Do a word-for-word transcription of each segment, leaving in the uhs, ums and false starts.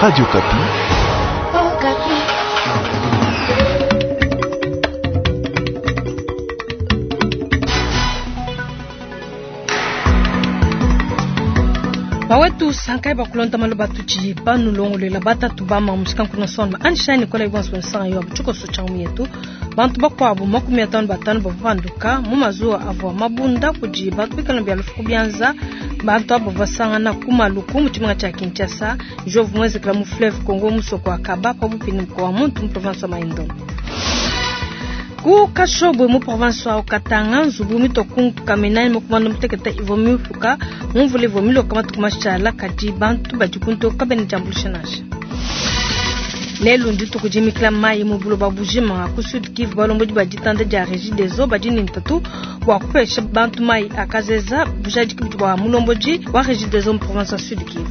Radio Okapi. Oh, Bawetu sankai bakulonda maloba tuchi banulongolela batatu bama musikankuna sonma anshani kola ibonso nsanga yo buchuko changu yetu bantu bakwabo makumi atano batano bavanduka mu mazuwa avua mabunda kudi bantu bikala bya lufuku byanza bantu abo basangana ku maluku mu tshimenga tshia Kinshasa jovu mwezekela mu fleuve Congo musoko wa Kaba pabupi ni mkoa wa muntu mu province wa Mai-Ndombe ku Kashobwe mu province wa Katanga nzubu mitokunka minani mukumanda muteketa ivo mifuka mumvula ivo miloka matuku mashala kadi bantu badi kuntoka bene diambuluisha nansha lelu ndituku dimikila mayi mu buloba bujima ku Sud Kivu balombodi ba ditanda dia Régie des eaux badi ne ntatu bua kupesha bantu mayi akazeza bujadiki bua mulombodi wa Régie des eaux mu province ya Sud Kivu.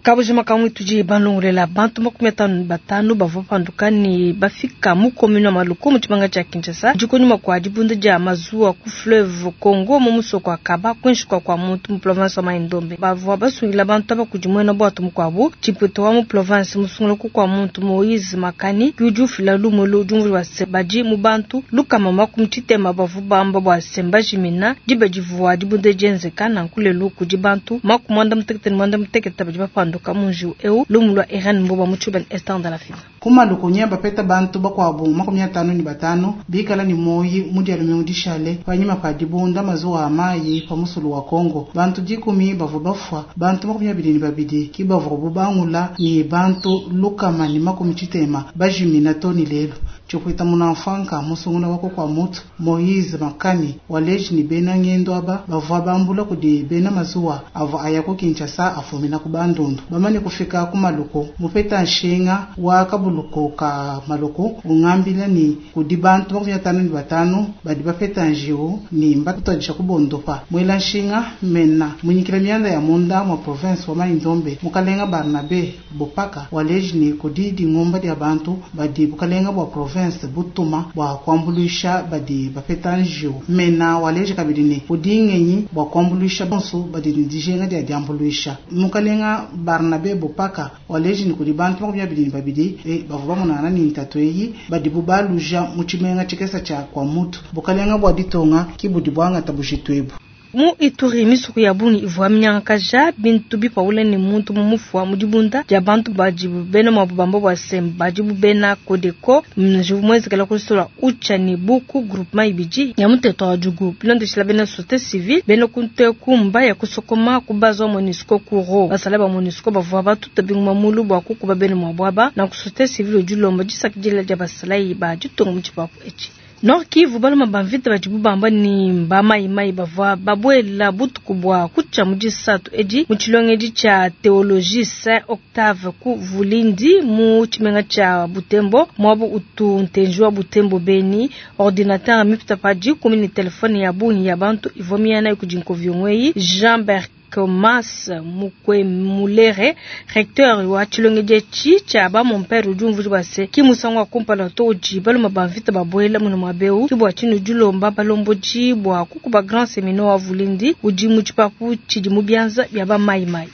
Kabujima kamwe tudi balongolela bantu makumi atano batano bavua panduka ne bafika mu commune wa Maluku mu tshimanga tshia Kinshasa dikunyuma kua dibunda dia mazuwa ku fleuve Congo mu musoko wa Kaba kuinshi kua kua muntu mu province wa Mai-Ndombe bavua basungila bantu aba kudi muena bwatu mukuabu tshiputo wa mu province musungula ku kua muntu Moïse Makani udi ufila lumu elu diumvua bua se badi mu bantu lukama makumi tshitema bavua bamba bua se mbajimina diba divua dibunda dienzeka nanku lelu kudi bantu makumi muanda mutekete ne muanda mutekete badi bapanduka munju eu lumu lwa Irene Mboba mu Tshubeni Esther Ndalafina kumaluku bapeta bantu bakuabu makumi atano ni batano bikala ni moyi mu dia lumingu dishale panyima pa dibunda mazuwa a mayi pa musulu wa Kongo bantu dikumi bavua bafua bantu makumi abidi ni babidi ki bavua bubangula ni bantu lukama ni makumi tshitema bajimina to ni lelo tshikwita munamfanka musungula wako kwa mutu Moïse Makani waleji ni bena ngendo aba bavua bambula kudi bena mazuwa avua aya ku Kinshasa afumina ku Bandundu bamane kufika ku Maluku mupeta nshinga wa kabuluko ka Maluku ungambila ni kudi bantu makumi atano ni batano badi bapeta njiwu ni mbatutadisha kubondopa mwela nshinga mena munyikila mianda ya munda mwa province wa Mai-Ndombe mukalenga Barnabe Bopaka waleji ni kudi dingomba dia bantu badi bukalenga bua province butuma bua kuambuluisha badi bapeta njiwu mena waleji kabidi ni kudi ngenyi bua kuambuluisha bonso badi ni dijenga dia diambuluisha mukalenga Barnabe Bopaka waleji ni kudi bantu makumi abidi ni babidi e, bavua bamonana ni ntatu eyi badi bubaluja mu tshimenga tshikesa tshia kwa mutu bukalenga bua ditonga kibudi bwangata bujitu ebu mu Ituri misuku ya bungi ivua minyangakaja bintu bipaula ne muntu mumufua mu dibunda dia bantu badi bena mwabu bamba bua se badi bena Kodeko njivu mwenzekela kusola ucha ne buku groupement ibidi ya muteto wa jugu bilondeshela bena société civile bena kunte kumba ya kusokoma kubazwa MONUSCO kuro basala ba MONUSCO bavua batuta binguma mulu bua kukuba bena mwabu aba na ku société civile dilomba disakidila dia basalayi ba ditunga mu tshipapu etshi Nord Kivu baluma bamvita badi bubamba ni bamayimayi bavua babuela butuku bua kucha mu disatu edi mu tshilongedi tshia théologie Saint Octave ku Vulindi mu tshimenga tshia Butembo muabu utu ntenji wa Butembo Beni ordinateur mipita pa dikumi ni telefone ya bungi ya bantu ivua miyana kudi nkoviongweyi Jean Bert Thomas Mukwemulere recteur wa tshilongedi etshi tshia ba mompere udi umvuija bua se ki musangu wa kumpala to udi baluma bamvita babuela muna muaba eu ki bua tshinu dilomba balombodi bua kukuba grand séminaire wa Vulindi udi mu tshipapu tshidi mu bianza bia ba mayimayi.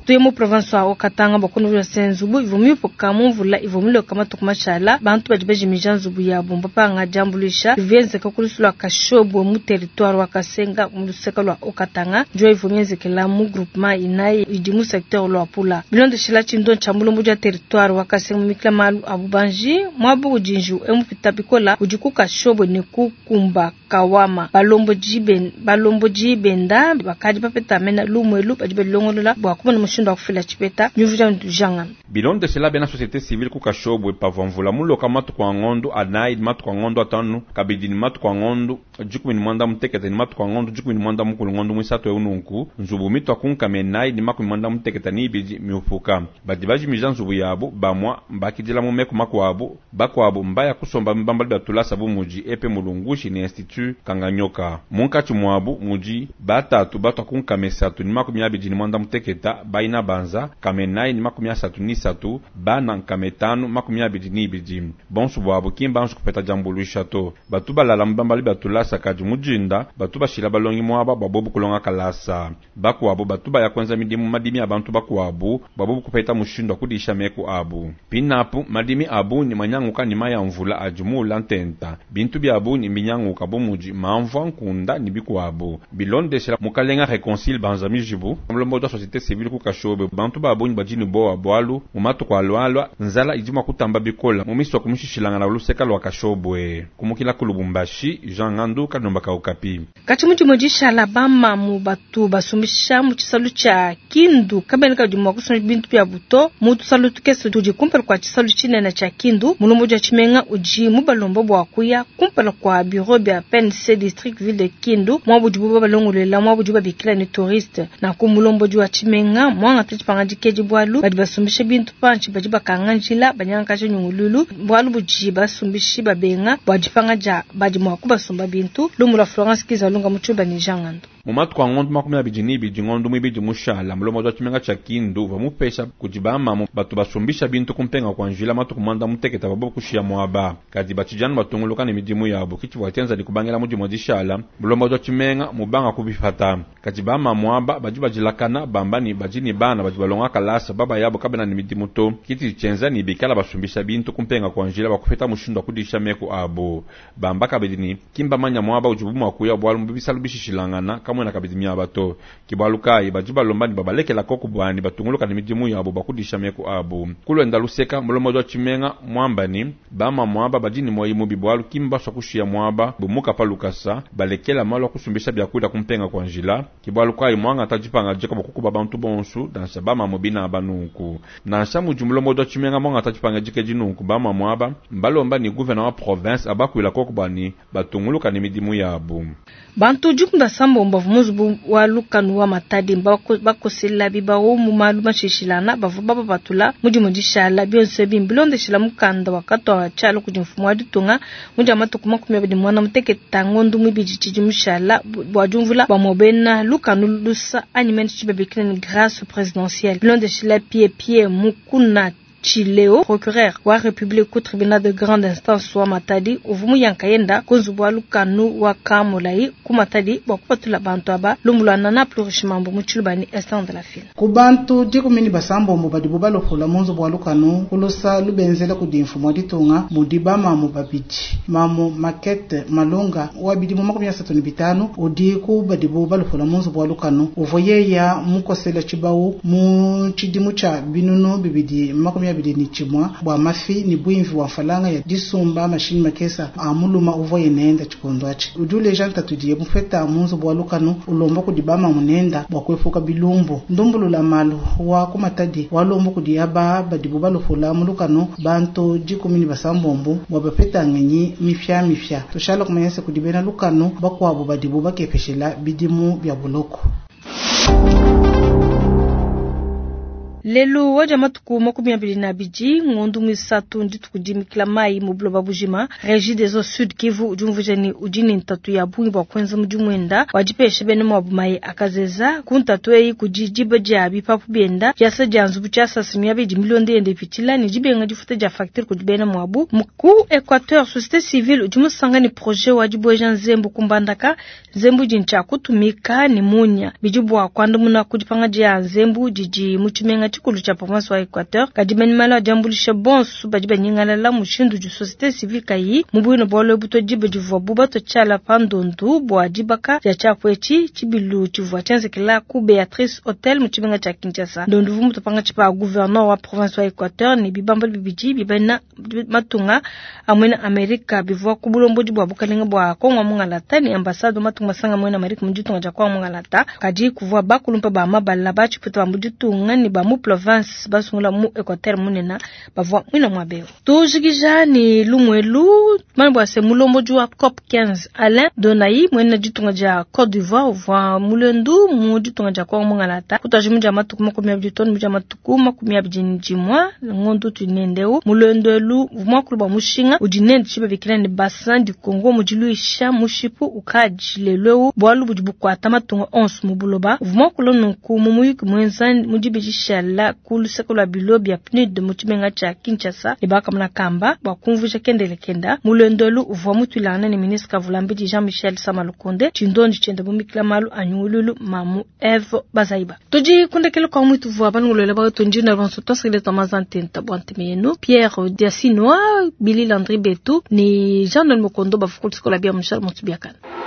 Tuye mu province wa Katanga bakunuja se nzubu ivua miupuka mu mvula ivua miloka matuku mashala bantu badi bajimija nzubu yabo mbapanga diambuluisha ivyenzeka ku lusu lua Kashobwe mu territoire wa Kasenga mu luseka lua Okatanga njo ivua mienzekela mu groupement inayi idi mu secteur lua Pula bilondeshela tshindo tshia mulombo dia territoire wa Kasenga mu mikila malu a bubanji muabu udi njiwu emupita bikola udi ku Kashobwe ne kukumba Kawama balombodi ben balombodi benda bakadi bapeta mena lumwelu badi balongolola bua kumona mushindu wa kufila tshipeta nyuvuja ntujanga bilondeshela bena société civile ku Kashobwe pavua mvula muloka matuku a ngondo anayi ni matuku a ngondo atanu kabidi ni matuku a ngondo dikumi ni mwanda mutekete ni matuku a ngondo dikumi ni mwanda mukulu ngondo mwisatu eu nunku nzubu mitwa kunkame enayi ni makumi mwanda mutekete ni ibidi miupuka badi bajimija nzubu yabu bamwa mbakidila mu meku makuabu bakuabu mbaya kusomba mbambali bia tulasa bu mudi epe mulungushi ni institut Kanganyoka munkatshi muabu mudi batatu batwa kunkame esatu ni makumi abidi ni mwanda muteketa baina inabanza nkama inayi ne makumi asatu ne isatu, bana nkama itanu makumi abidi ne ibidi. Bonso bwabu ki mbanji kupeta diambuluisha to. Batu balala mu bibambalu bia tulasa kadi mu dinda batu bashila balongi muaba bua bobu kulonga kalasa. Bakuabu batu baya kuenza midimu madimi a bantu bakuabu bua bobu kupeta mushindu wa kudisha meku abu. Pinapu madimi abu ni manyanguka ni mayi a mvula adi muula ntenta. Bintu biabu ni minyanguka bu mudi mamvua nkunda ni bikuabu. Bilondeshela mukalenga Reconcile Banza Mijibu, mulombodi wa société civile ku Kashobe, bantu babunyi badi ne bowa bwalu mu matuku alualua nzala idi mua kutamba bikola mu misoko mishishilangana luseka lua Kashobwe. Kumukila ku Lubumbashi, Jean Ngandu Kalomba ka Okapi. Katshi mudimu dishala bamamu batu basumbisha mu tshisalu tshia Kindu kabena kabidi mua kusumbisha bintu bia buto mu tusalu tukese tudi kumpala kua tshisalu tshinene tshia Kindu. Mulombodi wa tshimenga udi mubalomba bua kuya kumpala kua bureau bia P N C district ville de Kindu mwa budibu babalongolela mwa budibu babikila ne touriste. Na ku mulombodi wa tshimenga mwangata tshipanga dikedi bwalu badi basumbisha bintu panshi badi bakanga njila banyangakaja nyungululu bwalu budi basumbishi babenga bua dipanga dia badi mua kubasumba bintu. Lumu lwa Florence Kizalunga mutshuba ni Jean Ngandu. Mu matuku a ngondo makumi abidi ne ibidi ngondo muibidi mushala mulombodi wa tshimenga tshia Kindu uvua mupesha kudi bamamu batu basumbisha bintu kumpenga kua njila matuku muanda mutekete babo kushiya muaba. Kadi batshijanu batunguluka ne midimu yabo kitshivua tshienza ne kubangila mudimu wa dishala mulombodi wa tshimenga mubanga kubipata. Kadi bamamu aba badi badilakana bamba ne badi ne bana badi balonga kalasa baba yabo kabena ne midimu to. Kiti tshienza ne bikala basumbisha bintu kumpenga kua njila bakupeta mushindu wa kudisha meku abo. Bamba kabidi ne kimbamanya muaba udibu mua kuya bwalu mu bisalu bishishilangana kamwena kabidi miaba to. Kibwalu kayi badi balomba ne babalekela koku bwani batunguluka ne midimu yabo bakudisha meku abo. Kulwenda luseka mulombodi wa tshimenga mwamba ni bama mwaba badi ne moyi mubi bwalu kimbaswa kushiya mwaba bumuka pa lukasa balekela malu akusumbisha byakuda kumpenga kwa njila. Kibwalu kayi mwangata dipanga dika bakukuba bantu bonsu nansha bama mubina banunku. Nansha mudi mulombodi wa tshimenga mwangata dipanga dika dinunku bama mwaba mbalomba ni gouverneur wa province abakwila koku bwani batunguluka ne midimu yabo. Bantu dikunda sambo mbavu muzubu wa lukanu wa Matadi bakosela bibawo mu malu mashishilana bavu baba batula mudimu dishala byonse bimbilondeshela mukanda wakatwa tshalo kudi mfumu wa ditunga mudia matuku makumi abidi mwana muteketa ngondo mibidi tshidi mushala bua diumvula bua mobena lukanu lusa anyi mene tshibabikila ni grâce présidentielle bilondeshela pie pie mukuna Chileo, procureur wa République au tribunal de grande instance wa Matadi uvumu yankayenda kunzubu wa lukanu wa Kamulai ku Matadi bua kupatula bantu aba lumbulwana na plurichement mu Tshilubani instant de la file. Ku bantu dikumi ni basambombo badibu balopola mu nzubu wa lukanu kulusa lubenzela kudi mfumu wa ditunga mudi bamamu babidi. Mamu Makete Malunga wa bidimu makumi asatu ne bitanu udi ku badibu balopola mu nzubu wa lukanu uvua yeya mukosela tshibawu mu tshidimu tshia binunu bibidi makumi abidi ni tshimua bua mafi ni bwimvi wa falanga ya disumba mashini makesa a muluma uvua yenenda tshikondo atshi. Udi uleja ntatu diye mufeta mu nzubu wa lukanu ulomba kudi bamamu nenda bua kuepuka bilumbu. Ndumbulula malu wa ku Matadi walomba kudi aba badibu balopola mu lukanu bantu dikumi ni basambombo bua bapeta ngenyi mifya mifya. Tushala kumanya se kudi bena lukanu bakuabu badibu bakepeshela bidimu bia buloko. Lelu waja matuku makumi abidi na abidi ngondo mwisatu ndituku dimikila mayi mu buloba bujima. Régie des eaux Sud Kivu udi umvuija ni udi ne ntatu ya bungi bua kuenza mudimu wenda wadipesha bene mwabu mayi akazeza ku ntatu eyi kudi diba dia bipapu bienda diasa dia nzubu tshiasasa miaba idi milonda yenda ipitshila ne dibenga difuta dia facture kudi bena mwabu. Ku Equateur société civile udi musanga ne projet wa dibueja nzembu kumbandaka nzembu di ntshia kutumika ne munya bidi bua kuandamuna ku dipanga dia nzembu didi mu tshimenga tshikulu tshia province wa Equateur. Kadi bena malu adiambulisha bonso badi banyingalala mushindu du société civile kayi mu bwino bwalo buto dibe divua bubato tshiala pandondu bua dibaka dia tshiapu etshi tshibilu tshivua tshienzekela ku Beatrice Hotel mu tshimenga tshia Kinshasa. Ndondu vu mutupanga tshipa gouverneur wa province wa Equateur ne bibamba bibidi bibena matunga amwena Amerika bivua ku bulombodi bua bukalenga bua Kongo mungalata ne ambassade wa matunga masanga amwena Amerika mu ditunga dia Kongo mungalata. Kadi kuvua bakulumpa ba mabala ba tshiputa ba mu ditunga ne ba mu province basungula mu Equateur munena bavua mwina mwabeo. Tujikija ni lumwelu mane bwa se mulomboji wa COP quinze Alain Donai mwena ditunga dia Côte d'Ivoire uvua mulendu mu ditunga dia Kongo mungalata kutaji mudia matuku makumi abidi tonu mudia matuku makumi abidi ndimwa ngondu tunendeu mulendu elu mwakulu bwa mushinga udi nende tshibabikila ne bassin du Congo mudiluisha mushipu ukaji leleu bwalu budi bukwata matunga onso mu buloba uvua nunku mu muyuki mwenza mudibidishala ku luseke lwa bilo bya P N U D mu tshimenga tshia Kinshasa ne bakamuna kamba bua kumvuija kendele kenda mulendolu uvua mutwilangana ne ministre Kavulambidi Jean-Michel Samalukonde tshindondi tshienda bumikila malu anyungululu mamu Eve Bazaiba tudi kundekele kwa mwitu vua banungulwela bawetu ndina bonso twasikile twamazantenta bwa nteme yenu Pierre Diasinoa Billy Landry Betu ni Jean Noël Mokondo bafukulisikola bia Michel Montubiakana.